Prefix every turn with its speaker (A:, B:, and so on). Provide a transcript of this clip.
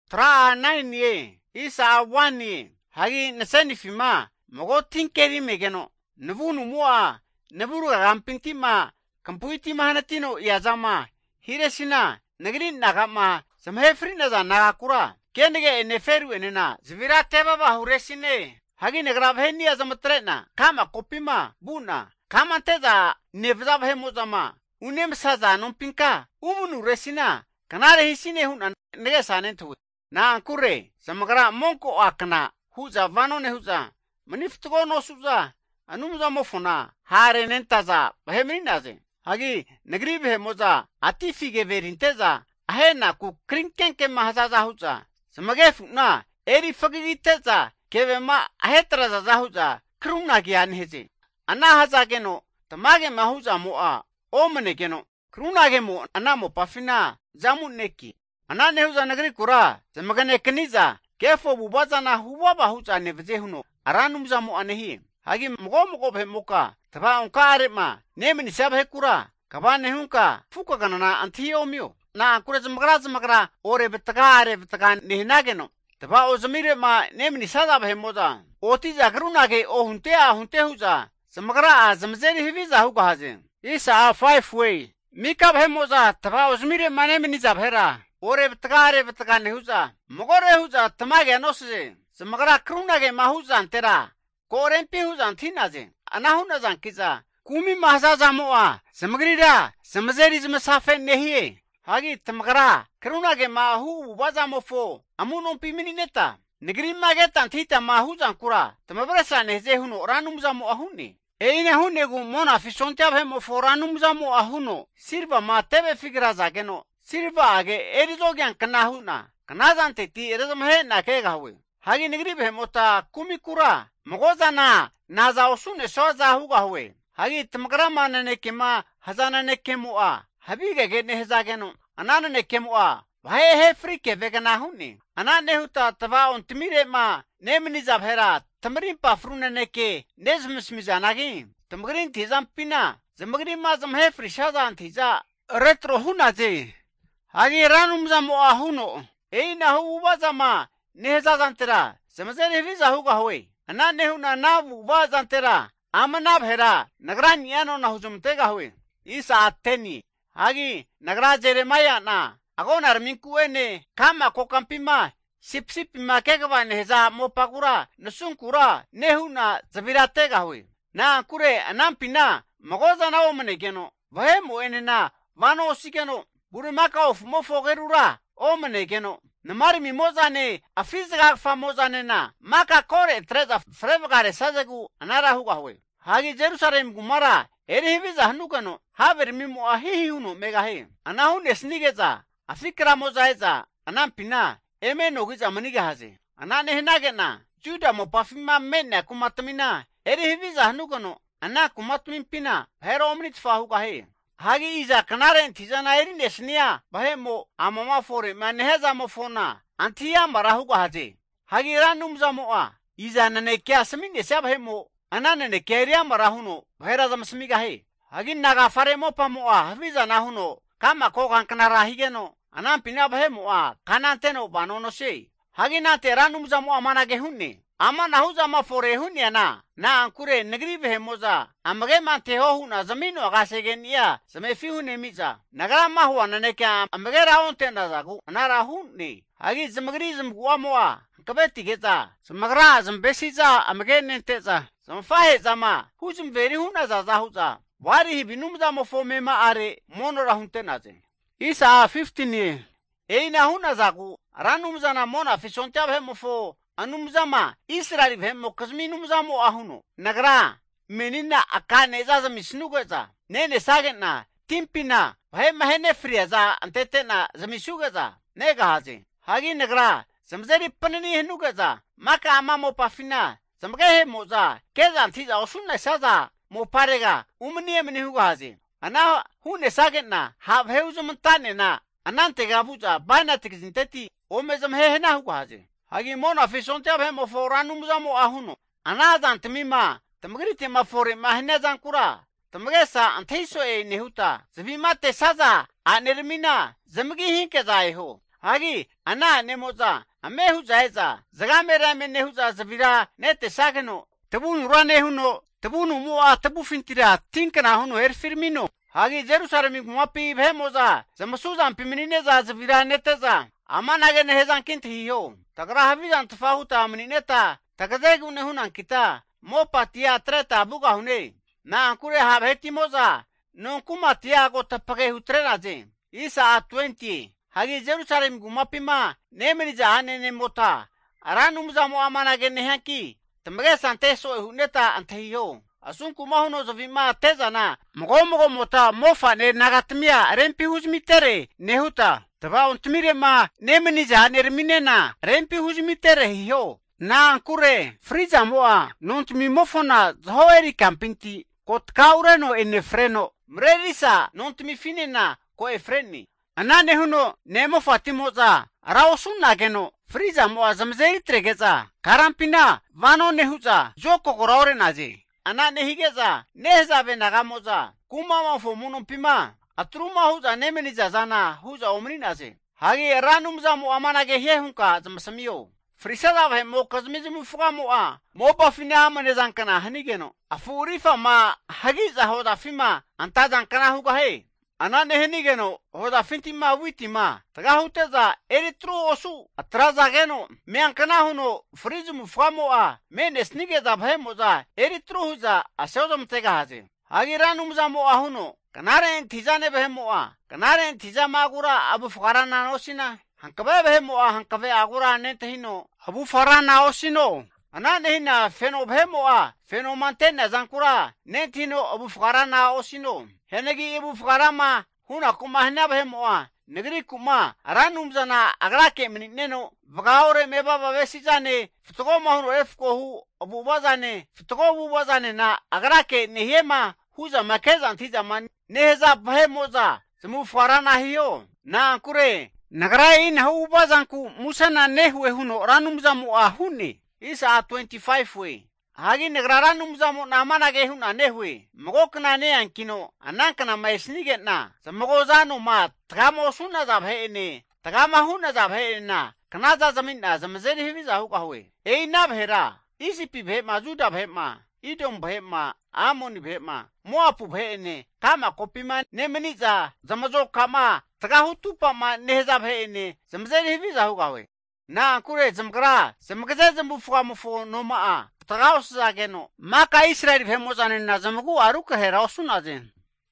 A: Tra 9 ye, isa 1 ye, hagi nasani fima, mogo tinkeri megeno, navunu mua, navuru rampintima, kampuitima hanatino yazama, hiresina, nagrin nagama, samhefrina za nagakura, kenege neferu enena, zvira teba ba huresine, hagi nagrabheni azamatrena, kama kopima, buna, kama teza, nevzabhemozama, unem saza nompinka, umunu resina, kanare hisine hun nege sanentu. Na ankure, samagra monko akna, huza vanone huza, maniftugo no suza, anumza mofuna, hare nentaza, bahemrinaze. Hagi, nagri behemoza, atifige verinteza, ahena ku krinkenke mahazaza huza, samagefuna, eri fagiteza, kevema ahetraza zahuza, kruna gianheze. Ana hazageno, tamage mahuza moa, omanegeno, kruna gemo, anamo pafina, zamu neki. Ana nehuza nagri kura, samagane kaniza, kefo bubaza na huwaba huza nevzehuno, aranumza mo anehi. Hagi mgo behemoka, taba onka arema, nemini sabhe kura, kabane hunka, fuka ganana antiomio. Na kura zamagra, ore betaka nehinageno. Taba o zamire ma nemini sada behemoza, otiza krunage o hunte huza, zamagra zamzeri hiviza huka haze. Isa 5 way, mika behemoza, taba o zamire ma nemini zabhera. Ore betaka nehuza, mogore huza tamage anosze, zamagra krunage mahuza antera, korempi huza antinaze, anahuna zankiza, kumi mahazaza moa, zamagrida, zamzeri zamasafe nehie, hagi tamagra, krunage mahu waza mofo, amunompi minineta, negri mageta antita mahuza ankura, tamabrasa nehze huno ranumza moa huni. Eine hunegu mona fisontia mofo ranumza moa huno, sirva ma tebe figra zageno, sirva age erizogyan kanahuna, kanazante ti erizamhe na kegawe. Hagi negri behemota kumikura, mogozana, naza osune soza huga huwe. Hagi tamagrama nanekema, hazana nekemua, habige gene hezageno, anana nekemua, vahe frike vegana huni. Anane huta tava ontimire ma, nemini zabhera, tamarin pafruna neke, nezmismizanagi, tamagrin tizampina, zamagrin ma zamhe frishaza antiza, retro hunaze. Hagi ranumza moa huno, eina huwazama, nehezazantera, zamazere viza huga huwe. Anane huna navu wazantera, amanab hera, nagran yano na huzumtega huwe. Isa ateni, hagi nagra jeremaya na, agon arminkuene, kama kokampima, sipsipima kegava neheza mopakura, nasunkura, nehuna zabiratega huwe. Na kure anampina, magoza na omanegeno, vahemu enena, vano osigeno, burimaka of mofogerura, omanegeno. Namari mimozane, afizga famozane na, maka kore treza frevgare sazegu anara huga huwe. Hagi Jerusalem gumara, eri hiviza hanukano, haver mimo ahihi huno megahe. Anahun esnigeza, afikra mozaeza, anampina, eme nogiza maniga haze. Anane hinagena, juda mo pafima mena kumatamina, eri hiviza hanukano, ana kumatamimpina, hero omnitfa huga he. Hagi iza kanaren tizana eri nesnia, bahemo amama fore maneheza mofona, antiya marahuga haze. Hagi ranumza moa, iza nanekia samine sabhemo, anane nekeria marahuno, bahera zamasmiga he. Hagi naga fare mopa moa, haviza nahuno, kama kokan kanara higeno, anampina bahemo kananteno banono se. Hagi nate ranumza moa manage hunne. Ama nahuza mafore hunya na ankure negri behemoza, amage mante hohuna zamino agasegenia, samefi hune miza, nagara mahua naneka amage raonte nazagu, anara hunne, hagi zamagri zamguamoa, kabeti geza, zamagra zambesiza amage nenteza, zamfahe zama, huzum veri huna zazahuza, wari hibinumza mofome ma are, monora hunte naze. Isa 15 ye, eina huna zagu, ranumza na mona fisontia behemofo, anumzama Israel vemo kazmi numzamo ahuno nagra menina akane za misnugeza nene sagena timpina vahe mahene friaza antetena zamisugeza nega haze hagi nagra samzeri panani henugeza maka amamo pafina samgehe moza keza antiza osunna saza mo parega umni emni huga haze ana hune sagena habheuzumtane na anante gabuza bana tikzinteti omezam hehena huga haze hagi mona fisonte abhemo foranumza mo ahuno anadan tmima tamgrite ma fore mahnezan kura tamgesa anthiso e nehuta zavimate saza anermina zamgi hinke zaiho Hagi, ana nemoza, amehuza eza, zagamera menehuza zavira, nete sageno, tabun rane huno, tabunu mua, tabu fintira, tinkana huno firmino. Hagi Jerusalem gumapi bemoza, zamasuza pimineza zavira neteza, amanagene hezan kinti hiyo, tagra havizan tafahuta amineta, tagadegune hunan kita, mopa tia treta buga hune, na ankure habheti moza, non kuma tia go tapage hutrenaze, isa 20. Hagi Jerusalem gumapima nemeriza anene mota aranumza mo amanagene hanki tamage santeso huneta antehiyo asun kumahuno zovima tezana mogo mota mofa ne nagatmia rempi huzmitere nehuta tava ontmire ma nemeniza nerminena rempi huzmitere hiyo na ankure friza moa nontmi mofona zoeri campinti kot kaureno ene freno mrerisa nontmi finena ko efreni anane huno nemo fatimoza raosunna geno friza mo zamzeri tregeza karampina vano nehuza joko koraure naje anane higeza nehza benagamoza kumama fomuno pima atruma huza nemeniza zana huza omri naje hagi ranumza mo amanage hehunka zamsamiyo frisada ve mo kazmizimu fugamo a mo bafina amane zankana hanigeno afurifa ma hagi za hoda fima anta zankana huga he anane henigeno hoda fintima witima tagahuteza eritro osu atraza geno meankana huno frizimu famo a menes nigeza bhemoza eritro huza asodom tegahaze hagiranum zamo ahuno kanare tizane bhemo a kanare tiza magura abu fukarana osina hankabe bhemo a hankabe agura netehino abu farana osino anane hina feno bhemo a feno mantena zankura netino abu fukarana osino henegi ibu fukarama huna kuma hina behemoa negri kuma aranum zana agrake minino vagaore meba babesi zane fitogo mahuro efko hu abu bazane fitogo bu bazane na agrake nehema huza makeza antiza man neheza behemoza zemu fukarana hiyo na ankure nagrai na hu bazanku musana nehwe huno ranum zamu ahuni isa 25 we hagi negraranum zamo namanage huna nehwe mogokna ne ankino anankana maisnige na zamogo zano ma tagamo suna zabhene tagama huna zabhena kanaza zaminna zamzeri hiviza huka hwe eina bhera isi pi bhe majuda bhe ma idom bhe ma amoni bhe ma moapu bhene kama kopima nemeniza zamazo kama tagahutupa ma nehza bhene zamzeri hiviza huka hwe na kure zamgra zamgaze zambufuka mufo noma a tagaus zageno maka Israel bhemozane na zamgu aruka hera osunazen